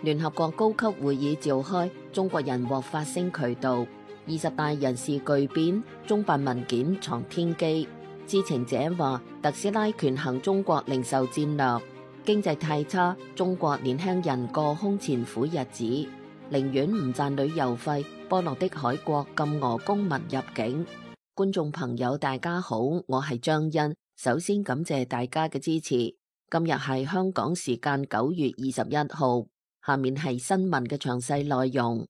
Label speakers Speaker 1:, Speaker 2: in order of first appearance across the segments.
Speaker 1: 聯合國高級會議召開，中國人獲發聲渠道。20大人事巨變，中辦文件藏天機。知情者話，特斯拉權衡中國零售戰略，經濟太差，中國年輕人過空前苦日子，寧願唔賺旅遊費。波羅的海國禁俄公民入境。觀眾朋友大家好，我係張欣，首先感謝大家嘅支持。今日係香港時間9月21號，下面係新聞嘅詳細內容。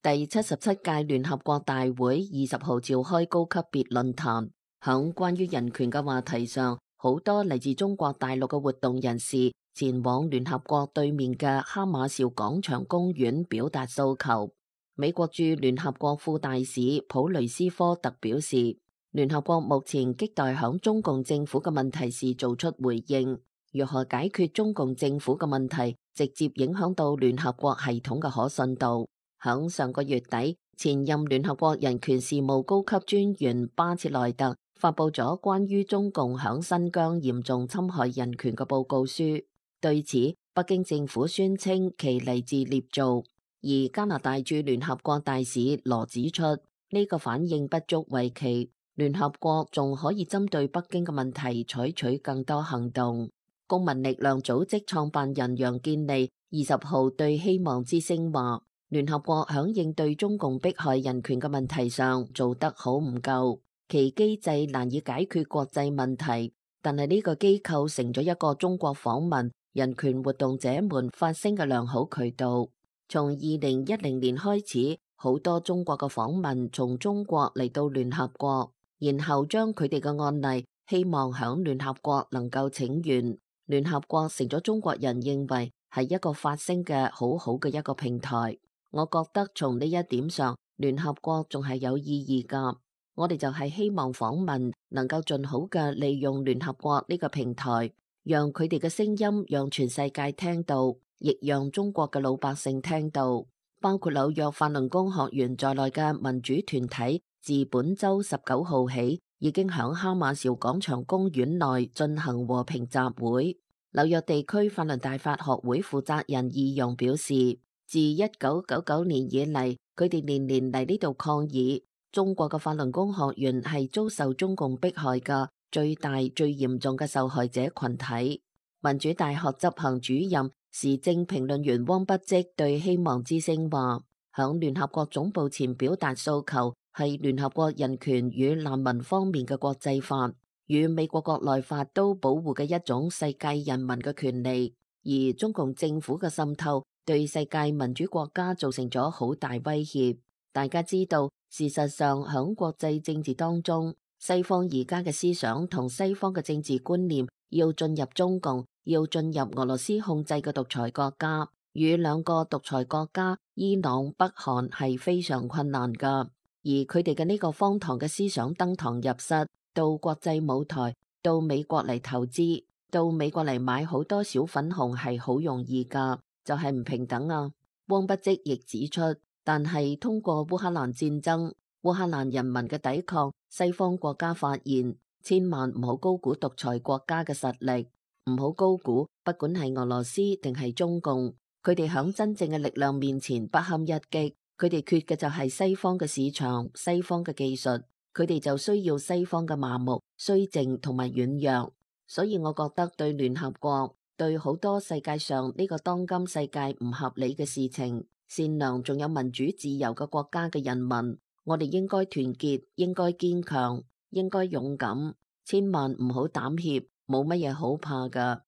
Speaker 1: 第77屆聯合國大會20號召開高級別論壇，響關於人權嘅話題上，好多嚟自中國大陸嘅活動人士前往聯合國對面嘅哈馬紹廣場公園表達訴求。美國駐聯合國副大使普雷斯科特表示，聯合國目前亟待響中共政府嘅問題時做出回應，如何解決中共政府嘅問題，直接影響到聯合國系統嘅可信度。響上個月底，前任聯合國人權事務高級專員巴切萊特發佈咗關於中共響新疆嚴重侵害人權嘅報告書。對此，北京政府宣稱其嚟自捏造，而加拿大駐聯合國大使羅指出，呢個反應不足為奇，聯合國仲可以針對北京嘅問題採取更多行動。公民力量組織創辦人楊建利20號對希望之聲話，聯合國響應對中共迫害人權嘅問題上做得好唔夠，其機制難以解決國際問題，但係呢個機構成咗一個中國訪問人權活動者們發聲嘅良好渠道。從2010年開始，好多中國嘅訪問從中國嚟到聯合國，然後將佢哋嘅案例希望響聯合國能夠請願。聯合國成咗中國人認為係一個發聲嘅好好嘅一個平台。我覺得從呢一點上，聯合國仲係有意義㗎。我哋就係希望訪問能夠盡好嘅利用聯合國呢個平台，讓佢哋嘅聲音讓全世界聽到，亦讓中國嘅老百姓聽到。包括紐約法輪功學院在內嘅民主團體，自本周19號起已經響哈馬紹廣場公園內進行和平集會。紐約地區法輪大法學會負責人義勇表示，自1999年以嚟，佢哋年年嚟呢度抗議。中國嘅法輪功學院係遭受中共迫害嘅最大、最嚴重嘅受害者群體。民主大學執行主任、時政評論員汪不積對希望之聲話，響聯合國總部前表達訴求係聯合國人權與難民方面嘅國際法，與美國國內法都保護嘅一種世界人民嘅權利。而中共政府嘅滲透對世界民主國家造成咗好大威脅。大家知道，事實上響國際政治當中，西方而家嘅思想同西方嘅政治觀念要進入中共，要進入俄羅斯控制嘅獨裁國家，與兩個獨裁國家伊朗、北韓係非常困難噶。而佢哋嘅呢個荒唐嘅思想登堂入室，到國際舞台，到美國嚟投資，到美國嚟買好多小粉紅係好容易噶，就係唔平等啊。汪不積亦指出，但係通過烏克蘭戰爭，烏克蘭人民嘅抵抗，西方國家發現，千萬唔好高估獨裁國家嘅實力，唔好高估，不管係俄羅斯定係中共，佢哋響真正嘅力量面前不堪一擊，佢哋缺嘅就係西方嘅市場、西方嘅技術，佢哋就需要西方嘅麻木、綏靜同埋軟弱。所以我覺得對聯合國，對好多世界上呢個當今世界唔合理嘅事情，善良仲有民主自由嘅國家嘅人民，我哋應該團結，應該堅強，應該勇敢，千萬唔好膽怯，冇乜嘢好怕噶。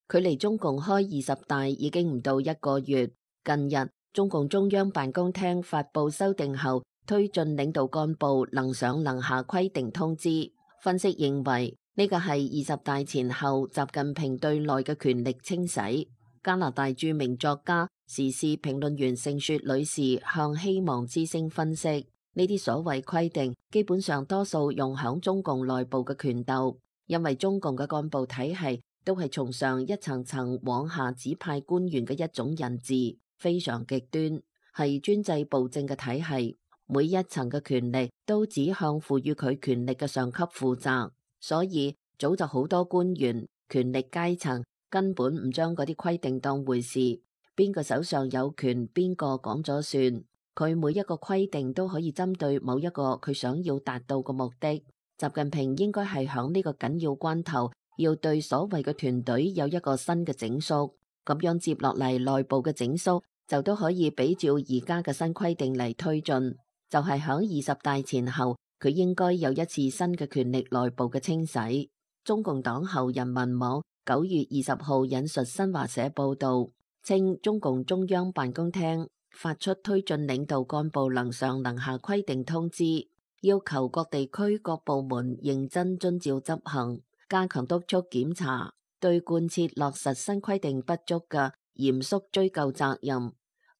Speaker 1: 距離中共開20大已經唔到1個月，近日中共中央辦公廳發佈修訂後推進領導幹部能上能下規定通知，分析認為呢個係20大前後習近平對內嘅權力清洗。加拿大著名作家、時事評論員盛雪女士向希望之聲分析，呢啲所謂規定基本上多數用響中共內部嘅權鬥，因為中共嘅幹部體系都係從上一層層往下指派官員嘅一種人治，非常極端，係專制暴政嘅體系。每一層嘅權力都只向賦予佢權力嘅上級負責，所以早就好多官員、權力階層根本唔將嗰啲規定當回事，邊個手上有權，邊個講咗算。佢每一個規定都可以針對某一個佢想要達到嘅目的。習近平應該係響呢個緊要關頭，要對所謂嘅團隊有一個新嘅整肅，咁樣接落嚟內部嘅整肅就都可以比照而家嘅新規定嚟推進。就係響20大前後，佢應該有一次新嘅權力內部嘅清洗。中共黨後人民網9月20號引述新華社報道，稱中共中央辦公廳發出推進領導幹部能上能下規定通知，要求各地區各部門認真遵照執行，加強督促檢查，對貫徹落實新規定不足嘅嚴肅追究責任。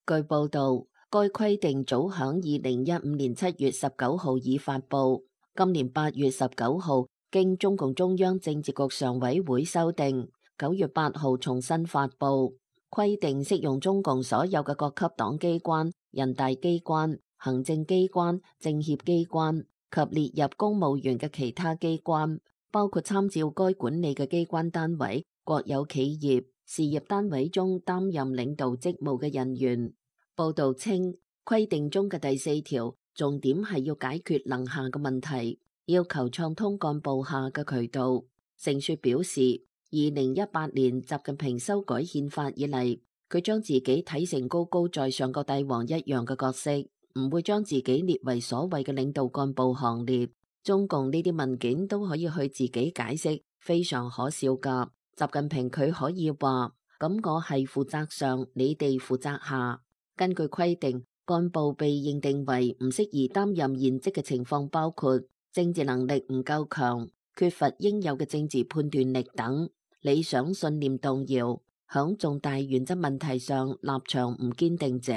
Speaker 1: 據報道，該規定早響2015年7月19號已發布，今年8月19號經中共中央政治局常委會修訂，9月8號重新發布。規定適用中共所有嘅各級黨機關、人大機關、行政機關、政協機關及列入公務員嘅其他機關，包括參照該管理嘅機關單位、國有企業、事業單位中擔任領導職務嘅人員。報道稱，規定中嘅第4條重點係要解決能下嘅問題，要求暢通幹部下嘅渠道。盛說表示，2018年習近平修改憲法以嚟，佢將自己睇成高高在上個帝王一樣嘅角色，唔會將自己列為所謂嘅領導幹部行列。中共呢啲文件都可以去自己解釋，非常可笑噶。習近平佢可以話，咁我係負責上，你哋負責下。根據規定，幹部被認定為唔適宜擔任現職嘅情況包括政治能力唔夠強、缺乏應有嘅政治判斷力等。理想信念動搖，響重大原則問題上立場唔堅定者，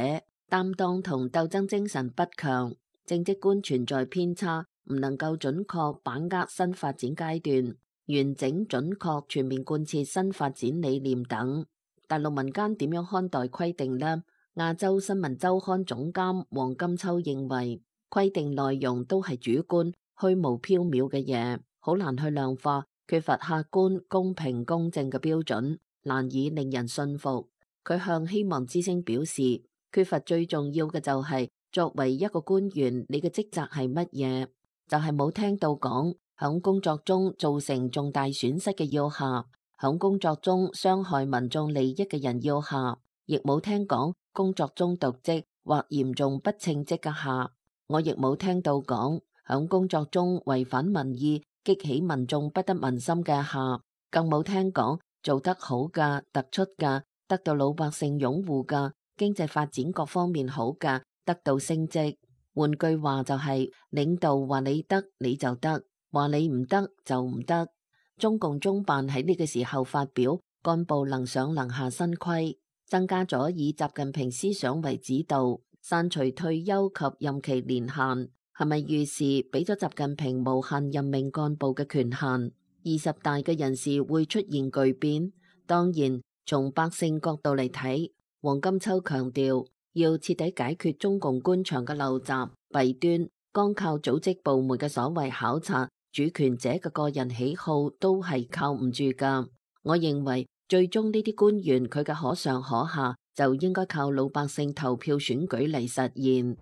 Speaker 1: 擔當同鬥爭精神不強，政績觀存在偏差，唔能夠準確把握新發展階段，完整準確全面貫徹新發展理念等。大陸民間點樣看待規定呢？亞洲新聞週刊總監黃金秋認為，規定內容都係主觀、虛無縹緲嘅嘢，好難去量化。缺乏客觀、公平、公正嘅標準，難以令人信服。佢向希望之聲表示，缺乏最重要嘅就係，作為一個官員，你嘅職責係乜嘢？就係冇聽到講，響工作中造成重大損失嘅要下，響工作中傷害民眾利益嘅人要下，亦冇聽講工作中瀆職或嚴重不稱職嘅下。我亦冇聽到講，響工作中違反民意，激起民眾不得民心嘅下，更冇聽講做得好嘅、突出嘅、得到老百姓擁護嘅、經濟發展各方面好嘅，得到升職。換句話就係，領導話你得你就得，話你唔得就唔得。中共中辦喺呢個時候發表幹部能上能下新規，增加咗以習近平思想為指導，刪除退休及任期年限。係咪預示俾咗習近平無限任命幹部嘅權限？20大嘅人事會出現巨變。當然，從百姓角度嚟睇，黃金秋強調要徹底解決中共官場嘅陋習弊端，光靠組織部門嘅所謂考察，主權者嘅個人喜好都係靠唔住噶。我認為最終呢啲官員佢嘅可上可下，就應該靠老百姓投票選舉嚟實現。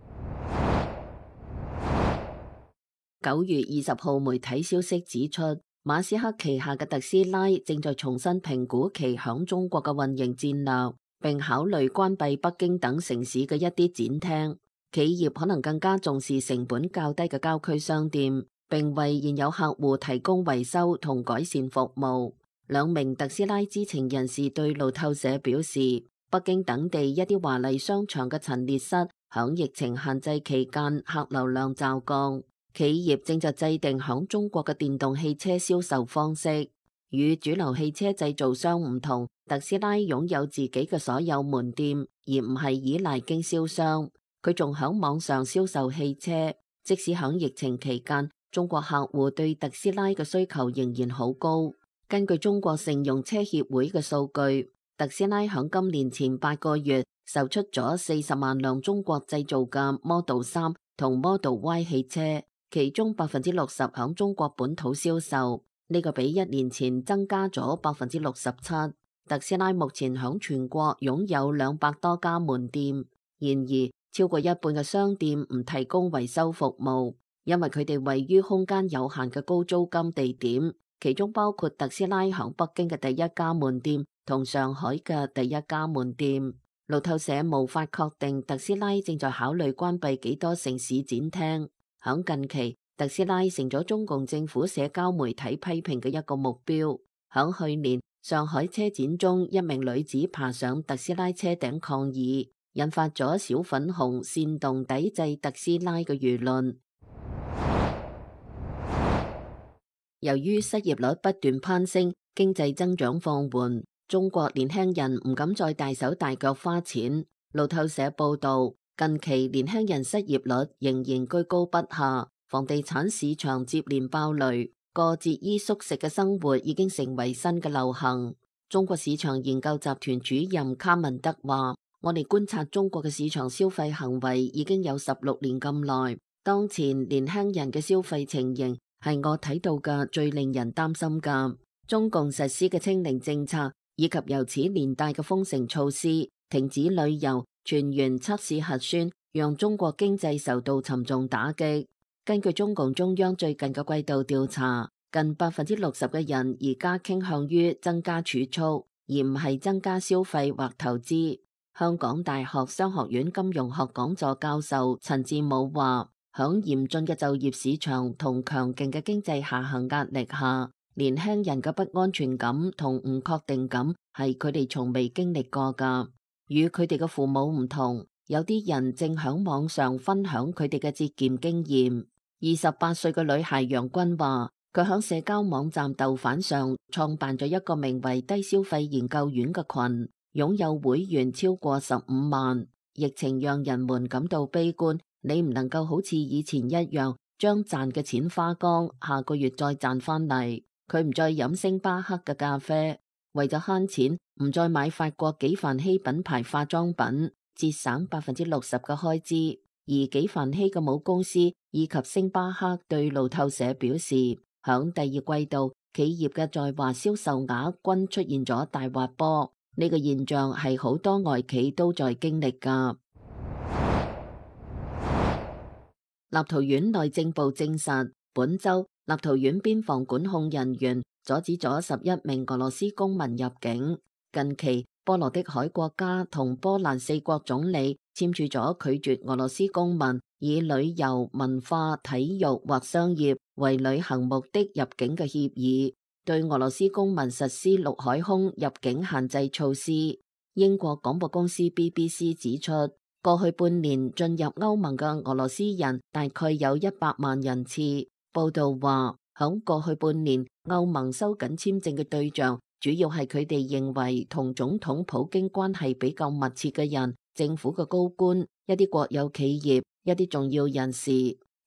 Speaker 1: 9月20號，媒體消息指出，馬斯克旗下嘅特斯拉正在重新評估其響中國嘅運營戰略，並考慮關閉北京等城市嘅一啲展廳。企業可能更加重視成本較低嘅郊區商店，並為現有客戶提供維修同改善服務。兩名特斯拉知情人士對路透社表示，北京等地一啲華麗商場嘅陳列室響疫情限制期間客流量驟降。企業正在制定響中國嘅電動汽車銷售方式，與主流汽車製造商唔同。特斯拉擁有自己嘅所有門店，而唔係依賴經銷商。佢仲響網上銷售汽車，即使響疫情期間，中國客戶對特斯拉嘅需求仍然好高。根據中國乘用車協會嘅數據，特斯拉響今年前8個月售出咗40萬輛中國製造嘅 Model 3同 Model Y 汽車。其中60%響中國本土銷售，呢個比1年前增加咗67%。特斯拉目前響全國擁有200多家門店，然而超過一半嘅商店唔提供維修服務，因為佢哋位於空間有限嘅高租金地點，其中包括特斯拉響北京嘅第一家門店同上海嘅第一家門店。路透社無法確定特斯拉正在考慮關閉幾多城市展廳。響近期，特斯拉成咗中共政府社交媒體批評嘅一個目標。響去年，上海車展中，一名女子爬上特斯拉車頂抗議，引發咗小粉紅煽動抵制特斯拉嘅輿論。由於失業率不斷攀升，經濟增長放緩，中國年輕人唔敢再大手大腳花錢。路透社報道，近期年輕人失業率仍然居高不下，房地產市場接連爆雷，過節衣縮食嘅生活已經成為新嘅流行。中國市場研究集團主任卡文德話：我哋觀察中國嘅市場消費行為已經有16年咁耐，當前年輕人嘅消費情形係我睇到嘅最令人擔心㗎。中共實施嘅清零政策以及由此連帶嘅封城措施、停止旅遊、全員測試核酸，讓中國經濟受到沉重打擊。根據中共中央最近嘅季度調查，近60%嘅人而家傾向於增加儲蓄，而唔係增加消費或投資。香港大學商學院金融學講座教授陳志武話：響嚴峻嘅就業市場同強勁嘅經濟下行壓力下，年輕人嘅不安全感同唔確定感係佢哋從未經歷過㗎。與佢哋嘅父母唔同，有啲人正響網上分享佢哋嘅節儉經驗。28歲嘅女孩楊君話，佢響社交網站豆瓣上創辦咗一個名為低消費研究院嘅群，擁有會員超過15萬。疫情讓人們感到悲觀，你唔能夠好似以前一樣將賺嘅錢花光，下個月再賺翻嚟。佢唔再飲星巴克嘅咖啡，為咗慳錢，唔再買法國紀梵希品牌化妝品，節省60%嘅開支。而紀梵希嘅母公司以及星巴克對路透社表示，響第二季度企業嘅在華銷售額均出現咗大滑坡，呢個現象係好多外企都在經歷㗎。立陶宛內政部證實，本周立陶宛邊防管控人員阻止咗11名俄羅斯公民入境。近期，波羅的海國家同波蘭4國總理簽署咗拒絕俄羅斯公民以旅遊、文化、體育或商業為旅行目的入境嘅協議，對俄羅斯公民實施陸海空入境限制措施。英國廣播公司 BBC 指出，過去半年進入歐盟嘅俄羅斯人大概有100萬人次。報道話，響過去半年，歐盟收緊簽證嘅對象主要係佢哋認為同總統普京關係比較密切嘅人、政府嘅高官、一啲國有企業、一啲重要人士。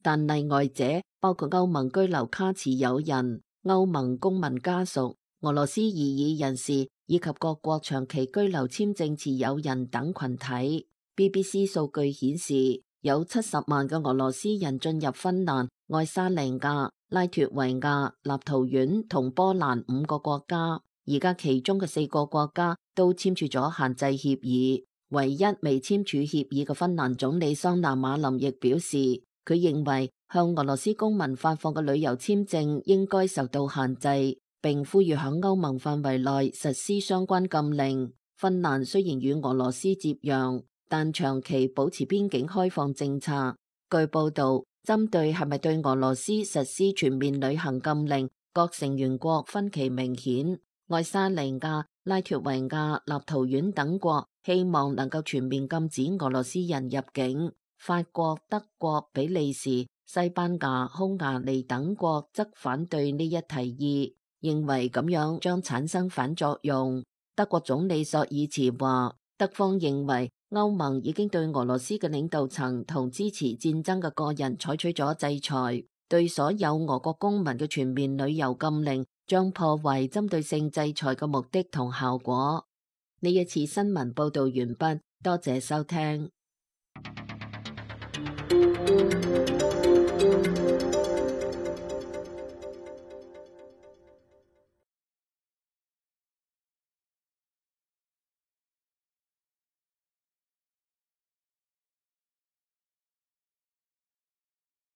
Speaker 1: 但例外者包括歐盟居留卡持有人、歐盟公民家屬、俄羅斯異議人士以及各國長期居留簽證持有人等群體。BBC 數據顯示，有70萬嘅俄羅斯人進入芬蘭、愛沙尼亞、拉脫維亞、立陶宛同波蘭5個國家。而家其中嘅4個國家都簽署咗限制協議，唯一未簽署協議嘅芬蘭總理桑拿馬林亦表示，佢認為向俄羅斯公民發放嘅旅遊簽證應該受到限制，並呼籲響歐盟範圍內實施相關禁令。芬蘭雖然與俄羅斯接壤，但長期保持邊境開放政策。據報道，針對係咪對俄羅斯實施全面旅行禁令，各成員國分歧明顯。愛沙尼亞、拉脫維亞、立陶宛等國希望能夠全面禁止俄羅斯人入境，法國、德國、比利時、西班牙、匈牙利等國則反對呢一提議，認為咁樣將產生反作用。德國總理朔爾茨話，德方認為歐盟已經對俄羅斯嘅領導層同支持戰爭嘅個人採取咗制裁，對所有俄國公民嘅全面旅遊禁令將破壞針對性制裁嘅目的同效果。呢一次新聞報道完畢，多謝收聽。